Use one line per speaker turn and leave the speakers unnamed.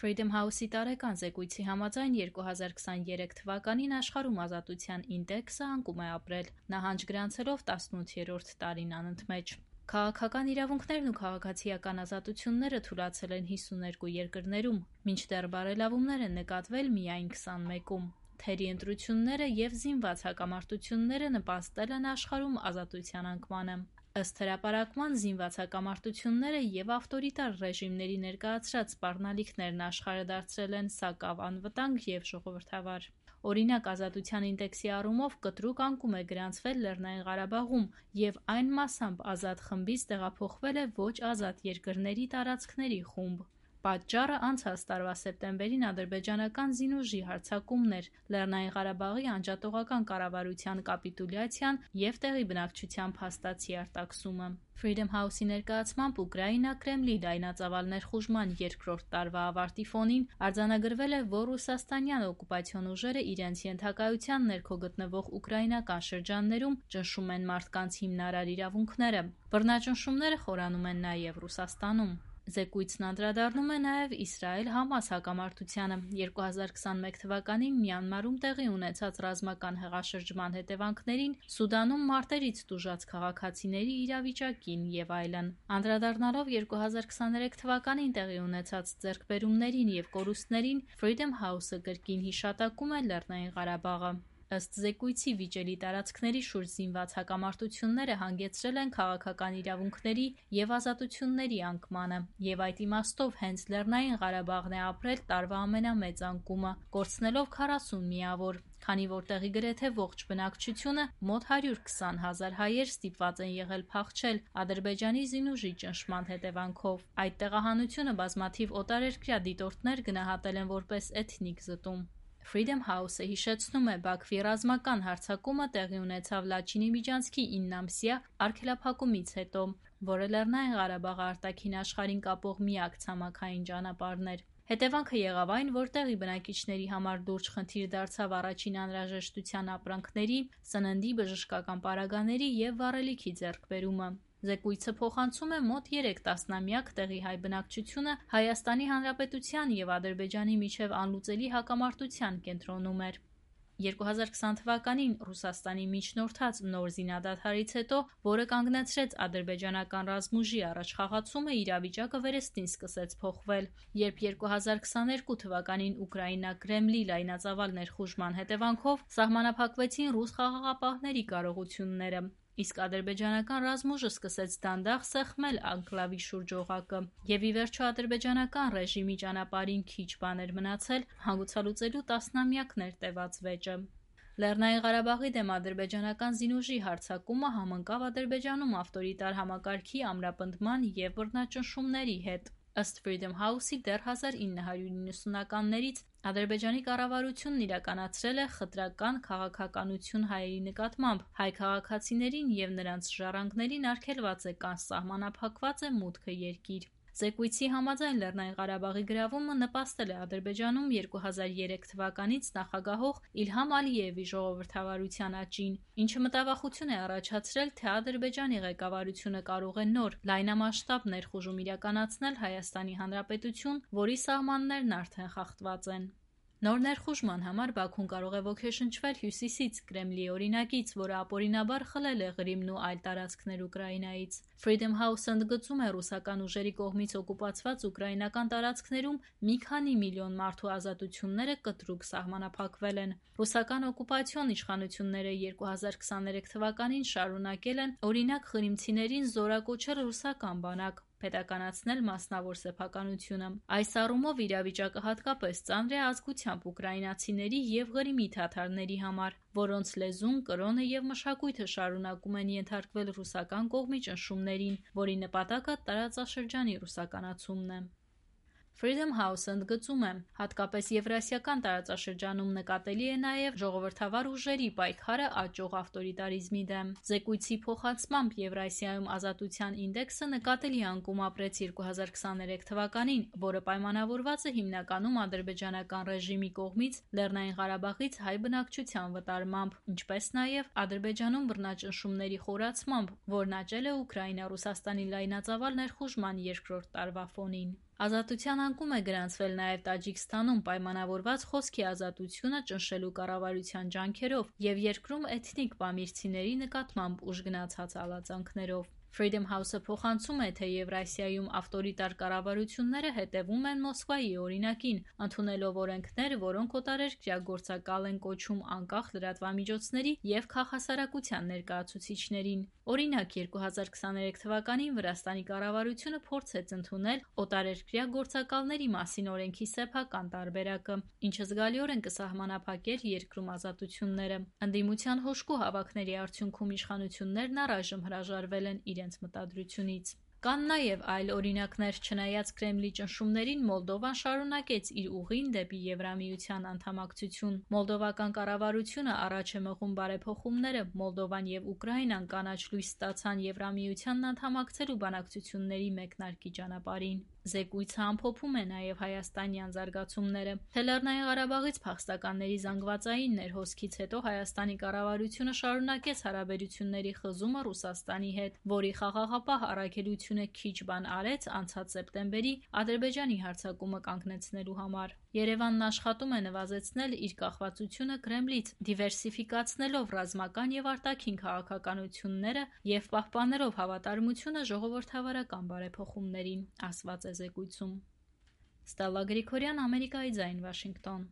Freedom House-ի տարեկան զեկույցի համաձայն 2023 թվականին աշխարհում ազատության ինդեքսը անկում է ապրել, նահանջ գրանցելով 18-րդ տարին անընդմեջ։ Քաղաքական իրավունքներն ու քաղաքացիական ազատությունները թուլացել են 52 երկրներում, մինչդեռ բարելավումներ են նկատվել միայն 21-ում։ Թերի ընտրությունները և զինված հակամարտությունները նպաստել են աշխարհում ազատության անկմանը։ Ըստ հրապարակման, զինված հակամարտությունները և ավտորիտար ռեժիմների ներկայացրած սպառնալիքներն աշխարհը դարձրել են սակավ անվտանգ և ժողովրդավար։ Օրինակ, ազատության ինդեքսի առումով կտրուկ անկում է գրանցվել Լեռնային Ղարաբաղում, և այն մասամբ ազատ խմբից տեղափոխվել է ոչ ազատ երկրների տարածքների խումբ։ Պատճառը անցած տարվա սեպտեմբերին ադրբեջանական զինուժի հարձակումն էր, Լեռնային Ղարաբաղի անջատողական կառավարության կապիտուլյացիան և տեղի բնակչության փաստացի արտաքսումը։ Freedom House-ի ներկայացմամբ Ուկրաինա Կրեմլի լայնածավալ ներխուժման երկրորդ տարվա ավարտի ֆոնին արձանագրվել է, որ ռուսաստանյան օկուպացիոն ուժերը իրենց ենթակայության ներքո գտնվող ուկրաինական շրջաններում ճնշում են մարդկանց հիմնարար իրավունքները։ Բռնաճնշումները խորանում են նաև Ռուսաստանում։ Զեկույցն անդրադառնում է նաև Իսրայել-Համաս հակամարտությանը։ 2021 թվականին Մյանմարում տեղի ունեցած ռազմական հեղաշրջման հետևանքներին, Սուդանում մարտերից տուժած քաղաքացիների իրավիճակին և այլն։ Անդրադառնալով 2023 թվականին տեղի ունեցած ձեռքբերումներին և կորուստներին, Freedom House-ը կրկին հիշատակում է Լեռնային Ղարաբաղը։ Ըստ զեկույցի, վիճելի տարածքների շուրջ զինված հակամարտությունները հանգեցրել են քաղաքական իրավունքների և ազատությունների անկմանը, և այդ իմաստով հենց Լեռնային Ղարաբաղն է ապրել տարվա ամենամեծ անկումը, կորցնելով 40 միավոր, քանի որ տեղի գրեթե ողջ բնակչությունը՝ մոտ 120 հազար հայեր ստիպված են եղել փախչել Ադրբեջանի զինուժի ճնշման հետևանքով։ Այդ տեղահանությունը բազմաթիվ օտարերկրյա դիտորդներ գնահատել են որպես էթնիկ զտում։ Freedom House-ը հիշեցնում է, Բաքվի ռազմական հարձակումը տեղի ունեցավ Լաչինի միջանցքի 9-ամսյա արգելափակումից հետո, որը Լեռնային Ղարաբաղը արտաքին աշխարհին կապող միակ ցամաքային ճանապարհն էր։ Հետևանքը եղավ այն, որ տեղի բնակիչների համար լուրջ խնդիր դարձավ առաջին անհրաժեշտության ապրանքների, սննդի, բժշկական պարագաների և վառելիքի ձեռքբերումը։ Զեկույցը փոխանցում է մոտ 3 տասնամյակ տեղի հայ բնակչությունը Հայաստանի Հանրապետության և Ադրբեջանի միջև անլուծելի հակամարտության կենտրոնում էր։ 2020 թվականին Ռուսաստանի միջնորդած նոր զինադադարից հետո, որը կանգնեցրեց ադրբեջանական ռազմուժի առաջխաղացումը, իրավիճակը վերստին սկսեց փոխվել, երբ 2022 թվականին Ուկրաինա Կրեմլի լայնածավալ ներխուժման հետևանքով սահմանափակվեցին ռուս խաղաղապահների կարողությունները, իսկ ադրբեջանական ռազմուժը սկսեց դանդաղ սեղմել անկլավի շուրջ օղակը, և ի վերջո ադրբեջանական ռեժիմի ճանապարհին քիչ բան էր մնացել հանգուցալուծելու տասնամյակներ տևած վեճը։ Լեռնային Ղարաբաղի դեմ ադրբեջանական զինուժի հարձակումը համընկավ Ադրբեջանում ավտորիտար համակարգի ամրապնդման և բռնաճնշումների հետ։ Ըստ Freedom House-ի, դեռ 1990-ականներից Ադրբեջանի կառավարությունն իրականացրել է խտրական քաղաքականություն հայերի նկատմամբ, հայ քաղաքացիներին և նրանց ժառանգներին արգելված է կամ սահմանափակված է մուտքը երկիր։ Զեկույցի համաձայն, Լեռնային Ղարաբաղի գրավումը նպաստել է Ադրբեջանում 2003 թվականից նախագահող Իլհամ Ալիևի ժողովրդավարության աճին, ինչը մտավախություն է առաջացրել, թե Ադրբեջանի ղեկավարությունը կարող է նոր, լայնամասշտաբ ներխուժում իրականացնել Հայաստանի Հանրապետություն, որի սահմաններն արդեն խախտված են։ Նոր ներխուժման համար Բաքուն կարող է ոգեշնչվել հյուսիսից, Կրեմլի օրինակից, որը ապօրինաբար խլել է Ղրիմն ու այլ տարածքներ Ուկրաինայից։ Freedom House-ը ընդգծում է ռուսական ուժերի կողմից օկուպացված ուկրաինական տարածքներում մի քանի միլիոն մարդու ազատությունները կտրուկ սահմանափակվել են։ Ռուսական օկուպացիոն իշխանությունները 2023 թվականին շարունակել են, օրինակ, ղրիմցիներին զորակոչել ռուսական բանակ, պետականացնել մասնավոր սեփականությունը։ Այս առումով իրավիճակը հատկապես ծանր է ազգությամբ ուկրաինացիների և Ղրիմի թաթարների համար, որոնց լեզուն, կրոնը և մշակույթը շարունակում են ենթարկվել ռուսական կողմի ճնշումներին, որի նպատակը տարածաշրջանի ռուսականացումն է։ Freedom House-ը ընդգծում է, հատկապես Եվրասիական տարածաշրջանում նկատելի է նաև ժողովրդավար ուժերի պայքարը աճող ավտորիտարիզմի դեմ։ Զեկույցի փոխանցմամբ, Եվրասիայում ազատության ինդեքսը նկատելի անկում ապրեց 2023 թվականին, որը պայմանավորված է հիմնականում ադրբեջանական ռեժիմի կողմից Լեռնային Ղարաբաղից հայ բնակչության վտարմամբ, ինչպես նաև Ադրբեջանում բռնաճնշումների խորացմամբ, որն աճել է Ուկրաինա-Ռուսաստանի լայնածավալ ներխուժման երկրորդ տարվա ֆոնին։ Ազատության անկում է գրանցվել նաև Տաջիկստանում պայմանավորված խոսքի ազատությունը ճնշելու կառավարության ջանքերով և երկրում էթնիկ պամիրցիների նկատմամբ ուժգնացած հալածանքներով։ Freedom House-ը փոխանցում է, թե Եվրասիայում ավտորիտար կառավարությունները հետևում են Մոսկվայի օրինակին, ընդունելով օրենքներ, որոնք օտարերկրյա գործակալ են կոչում անկախ լրատվամիջոցների և քաղաքասարակության ներկայացուցիչներին։ Օրինակ, 2023 թվականին Վրաստանի կառավարությունը փորձեց ընդունել օտարերկրյա գործակալների մասին օրենքի սեփական տարբերակը, ինչը զգալիորեն կսահմանափակեր երկրում ազատությունները։ Ընդդիմության հոշկու հավաքների արդյունքում իշխանություններն առայժմ հրաժարվել են իրենց մտադրությունից։ Կան նաև այլ օրինակներ։ Չնայած Կրեմլի ճնշումներին, Մոլդովան շարունակեց իր ուղին դեպի Եվրամիության անդամակցություն։ Մոլդովական կառավարությունը առաջ է մղում բարեփոխումները։ Մոլդովան և Ուկրաինան կանաչ լույս ստացան Եվրամիությանն անդամակցելու բանակցությունների մեկնարկի ճանապարհին։ Զեկույցը ամփոփում է նաև հայաստանյան զարգացումները, թե Լեռնային Ղարաբաղից փախստականների զանգվածային ներհոսքից հետո Հայաստանի կառավարությունը շարունակեց հարաբերությունների խզումը Ռուսաստանի հետ, որի խաղաղապահ առաքելությունը քիչ բան արեց անցած սեպտեմբերի Ադրբեջանի հարձակումը կանգնեցնելու համար։ Երևանն աշխատում է նվազեցնել իր կախվածությունը Կրեմլից, դիվերսիֆիկացնելով ռազմական և արտաքին քաղաքականությունները և պահպանելով հավատարմությունը ժողովրդավարական բարեփոխումներին, ասված է զեկույցում։ Ստելլա Գրիգորյան, Ամերիկայի ձայն, Վաշինգտոն։